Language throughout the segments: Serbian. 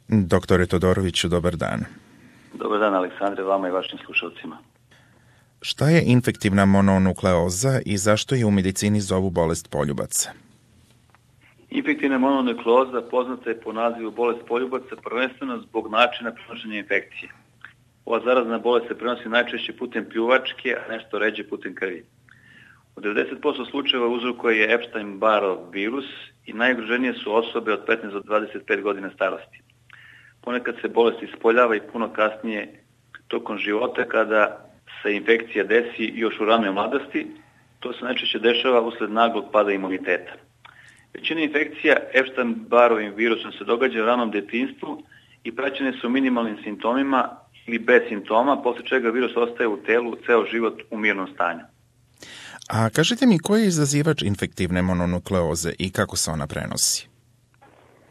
Doktore Todoroviću, dobar dan. Dobar dan, Aleksandre, vama i vašim slušalcima. Šta je infektivna mononukleoza i zašto je u medicini zovu bolest poljubaca? Infektivna mononukleoza poznata je po nazivu bolest poljubaca prvenstveno zbog načina prenošenja infekcije. Ova zarazna bolest se prenosi najčešće putem pljuvačke, a nešto ređe putem krvi. U 90% slučajeva uzrokuje je Epstein-Barrov virus i najugroženije su osobe od 15 do 25 godina starosti. Ponekad se bolest ispoljava i puno kasnije tokom života kada se infekcija desi još u ranoj mladosti. To se najčešće dešava usled naglog pada imuniteta. Većina infekcija Epstein-Barrovim virusom se događa u ranom detinjstvu i praćene su minimalnim simptomima ili bez simptoma, posle čega virus ostaje u telu ceo život u mirnom stanju. A kažite mi, ko je izazivač infektivne mononukleoze i kako se ona prenosi?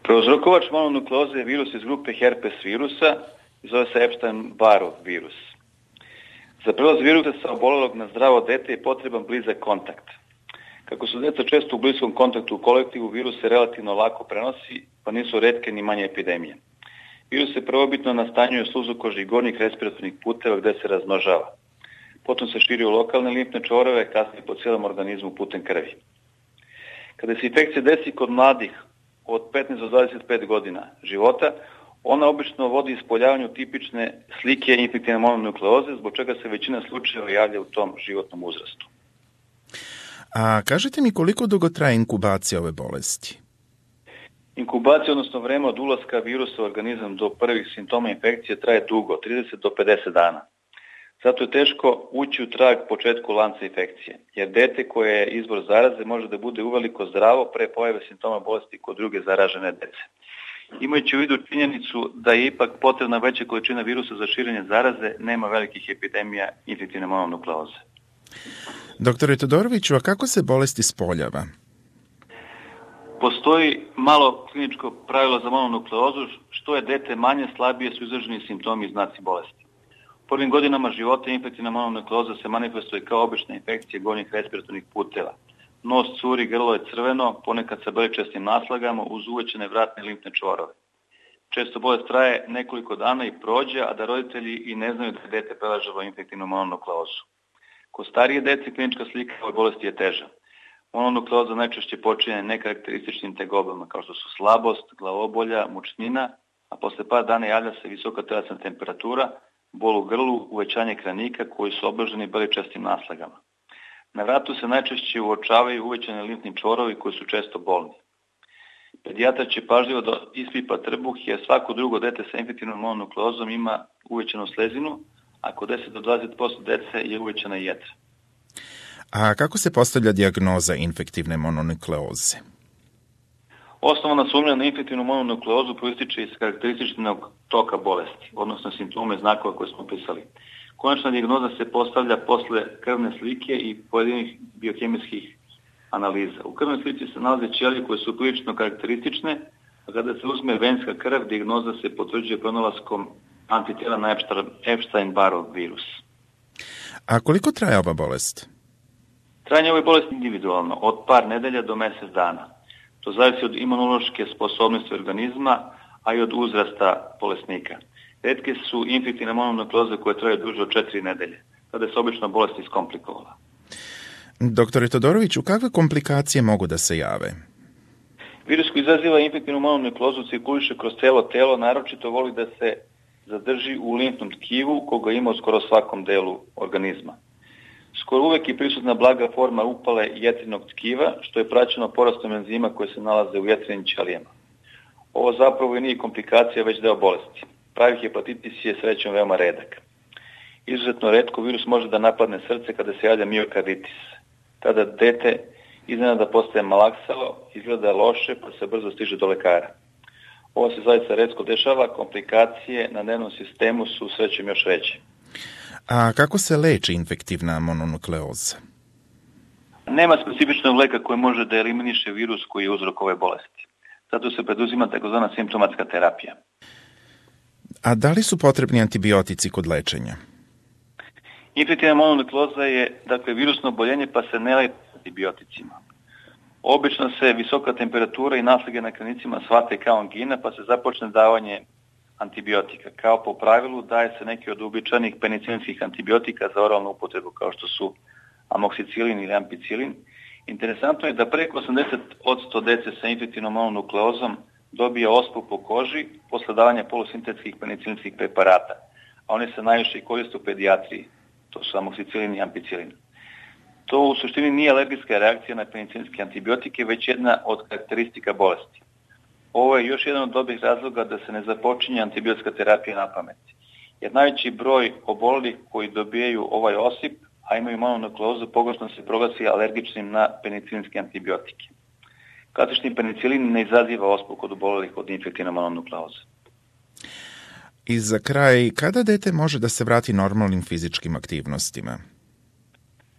Prouzrokovač mononukleoze je virus iz grupe herpes virusa i zove se Epstein-Barrov virus. Za prenos virusa sa obolelog na zdravo dete je potreban blizak kontakt. Kako su deca često u bliskom kontaktu u kolektivu, virus se relativno lako prenosi, pa nisu retke ni manje epidemije. Virus se prvobitno nastanjuje u sluzokoži i gornjih respiratornih puteva gde se razmnožava. Potom se širi u lokalne limfne čvorove, kasnije po cijelom organizmu putem krvi. Kada se infekcija desi kod mladih od 15 do 25 godina života, ona obično vodi ispoljavanju tipične slike infektivne mononukleoze, zbog čega se većina slučajeva javlja u tom životnom uzrastu. A kažete mi koliko dugo traje inkubacija ove bolesti? Inkubacija, odnosno vreme od ulaska virusa u organizam do prvih simptoma infekcije traje dugo, 30 do 50 dana. Zato je teško ući u trag početku lanca infekcije, jer dete koje je izvor zaraze može da bude uveliko zdravo pre pojave simptoma bolesti kod druge zaražene dece. Imajući u vidu činjenicu da je ipak potrebna veća količina virusa za širenje zaraze, nema velikih epidemija infektivne mononukleoze. Doktore Todoroviću, a kako se bolest ispoljava? Postoji malo kliničko pravilo za mononukleozu, što je dete manje, slabije su izraženi simptomi i znaci bolesti. U prvim godinama života infektivna mononukleoza se manifestuje kao obična infekcija gornjih respiratornih puteva. Nos curi, grlo je crveno, ponekad sa beličastim naslagama uz uvećane vratne limfne čvorove. Često bolest traje nekoliko dana i prođe, a da roditelji i ne znaju da je dete preležalo infektivnu mononukleozu. Kod starije dece klinička slika ove bolesti je teža. Mononukleoza najčešće počinje nekarakterističnim tegobama kao što su slabost, glavobolja, mučnina, a posle par dana javlja se visoka telesna temperatura, bol u grlu, uvećanje kranika koji su obloženi beličastim naslagama. Na vratu se najčešće uočavaju uvećane limfni čvorovi koji su često bolni. Pedijatar će pažljivo da ispipa trbuh jer svako drugo dete sa infektivnom mononukleozom ima uvećanu slezinu, a kod 10 do 20% dece je uvećana jetra. A kako se postavlja dijagnoza infektivne mononukleoze? Osnovna sumnja na infektivnu mononukleozu proističe iz karakterističnog toka bolesti, odnosno simptome znakova koje smo opisali. Konačna dijagnoza se postavlja posle krvne slike i pojedinih biohemijskih analiza. U krvnoj slici se nalaze ćelije koje su prilično karakteristične, a kada se uzme venska krv, dijagnoza se potvrđuje pronalaskom antitela na Epstein-Barrov virus. A koliko traje ova bolest? Trajanje ove bolesti je individualno, od par nedelja do mesec dana. To zavisi od imunološke sposobnosti organizma, a i od uzrasta bolesnika. Retke su infektivne mononukleoze koje traju duže od 4 nedelje, kada se obično bolest iskomplikovala. Doktore Todoroviću, kakve komplikacije mogu da se jave? Virus koji izaziva infektivnu mononukleozu cirkuliše kroz celo telo, naročito voli da se zadrži u limfnom tkivu, koga ima u skoro svakom delu organizma. Skoro uvek je prisutna blaga forma upale jetrinog tkiva, što je praćeno porastom enzima koje se nalaze u jetrinim ćelijama. Ovo zapravo i nije komplikacija, već deo bolesti. Pravi hepatitis je srećom veoma redak. Izuzetno retko virus može da napadne srce kada se javlja miokarditis. Tada dete iznenada postaje malaksalo, izgleda loše pa se brzo stiže do lekara. Ovo se zaista retko dešava, komplikacije na nervnom sistemu su srećom još veće. A kako se leči infektivna mononukleoza? Nema specifičnog leka koji može da eliminiše virus koji je uzrok ove bolesti. Zato se preduzima takozvana simptomatska terapija. A da li su potrebni antibiotici kod lečenja? Infektivna mononukleoza je virusno oboljenje pa se ne leči antibioticima. Obično se visoka temperatura i naslage na kranicima shvate kao angina pa se započne davanje antibiotika. Kao po pravilu daje se neki od uobičajenih penicilinskih antibiotika za oralnu upotrebu, kao što su amoksicilin ili ampicilin. Interesantno je da preko 80% dece sa infektivnom mononukleozom dobije ospu po koži posle davanja polusintetskih penicilinskih preparata, a oni se najviše koriste u pedijatriji. To su amoksicilin i ampicilin. To u suštini nije alergijska reakcija na penicilinske antibiotike, već jedna od karakteristika bolesti. Ovo je još jedan od dobrih razloga da se ne započinje antibiotska terapija na pamet. Jer najveći broj obolelih koji dobijaju ovaj osip, a imaju mononukleozu, pogrešno se proglasi alergičnim na penicilinske antibiotike. Klasični penicilin ne izaziva ospu kod obolelih od infektivne mononukleoze. I za kraj, kada dete može da se vrati normalnim fizičkim aktivnostima?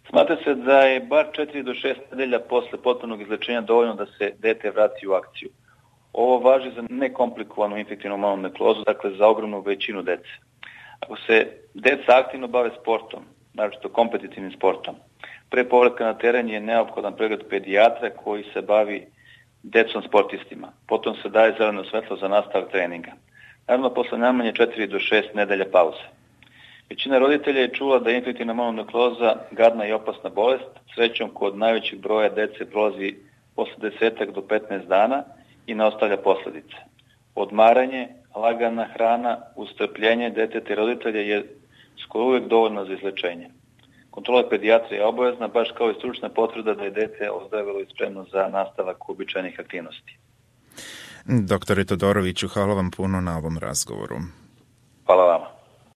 Smatra se da je bar 4 do 6 nedelja posle potpunog izlečenja dovoljno da se dete vrati u akciju. Ovo važi za nekomplikovanu infektivnu mononukleozu, dakle za ogromnu većinu dece. Ako se deca aktivno bave sportom, naročito kompetitivnim sportom, pre povratka na teren je neophodan pregled pedijatra koji se bavi decom sportistima. Potom se daje zeleno svetlo za nastavak treninga. Naravno, posle najmanje 4 do 6 nedelja pauze. Većina roditelja je čula da je infektivna mononukleoza gadna i opasna bolest. Srećom, kod najvećeg broja dece prolazi posle 10 do 15 dana i ne ostavlja posledice. Odmaranje, lagana hrana, ustrpljenje deteta i roditelja je skoro uvek dovoljno za izlečenje. Kontrola pedijatra je obavezna, baš kao i stručna potvrda da je dete ozdravilo i spremno za nastavak uobičajenih aktivnosti. Doktore Todoroviću, hvala vam puno na ovom razgovoru. Hvala vama.